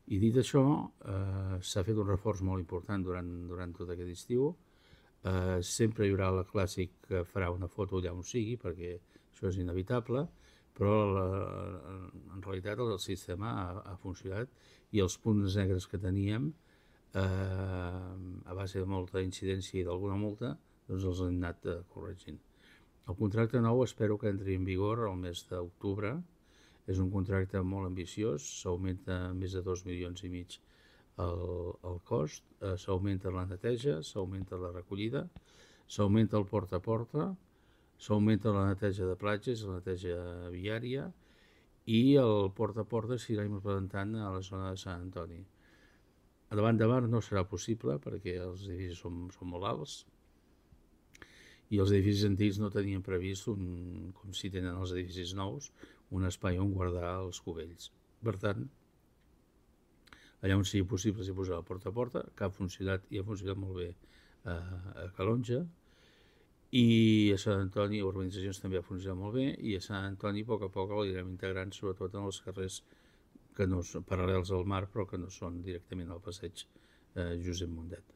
I dit això, s'ha fet un reforç molt important durant tot aquest estiu. Sempre hi haurà la clàssic que farà una foto allà on sigui, perquè això és inevitable, però en realitat el sistema ha funcionat i els punts negres que teníem, a base de molta incidència i d'alguna multa, doncs els hem anat corregint. El contracte nou espero que entri en vigor el mes d'octubre. És un contracte molt ambiciós, s'augmenta més de 2,5 milions el cost, s'augmenta la neteja, s'augmenta la recollida, s'augmenta el porta a porta, s'augmenta la neteja de platges, la neteja viària, i el porta a porta s'irà implementant a la zona de Sant Antoni. A davant de mar no serà possible perquè els edificis són molt alts i els edificis antics no tenien previst, com si tenen els edificis nous, un espai on guardar els cubells. Per tant, allà on sigui possible s'hi posarà porta a porta, que ha funcionat i ha funcionat molt bé a Calonge, i a Sant Antoni, a urbanitzacions també ha funcionat molt bé, i a Sant Antoni a poc l'anirem integrant, sobretot en els carrers que no són paral·lels al mar, però que no són directament al passeig Josep Mundet.